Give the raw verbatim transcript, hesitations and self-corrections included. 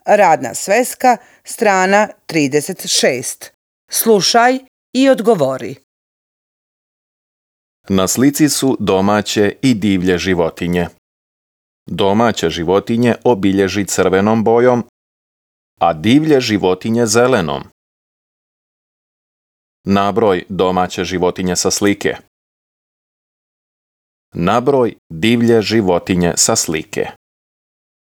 Radna sveska, strana trideset šest. Slušaj i odgovori. Na slici su domaće i divlje životinje. Domaće životinje obilježi crvenom bojom, a divlje životinje zelenom. Nabroj domaće životinje sa slike. Nabroj divlje životinje sa slike.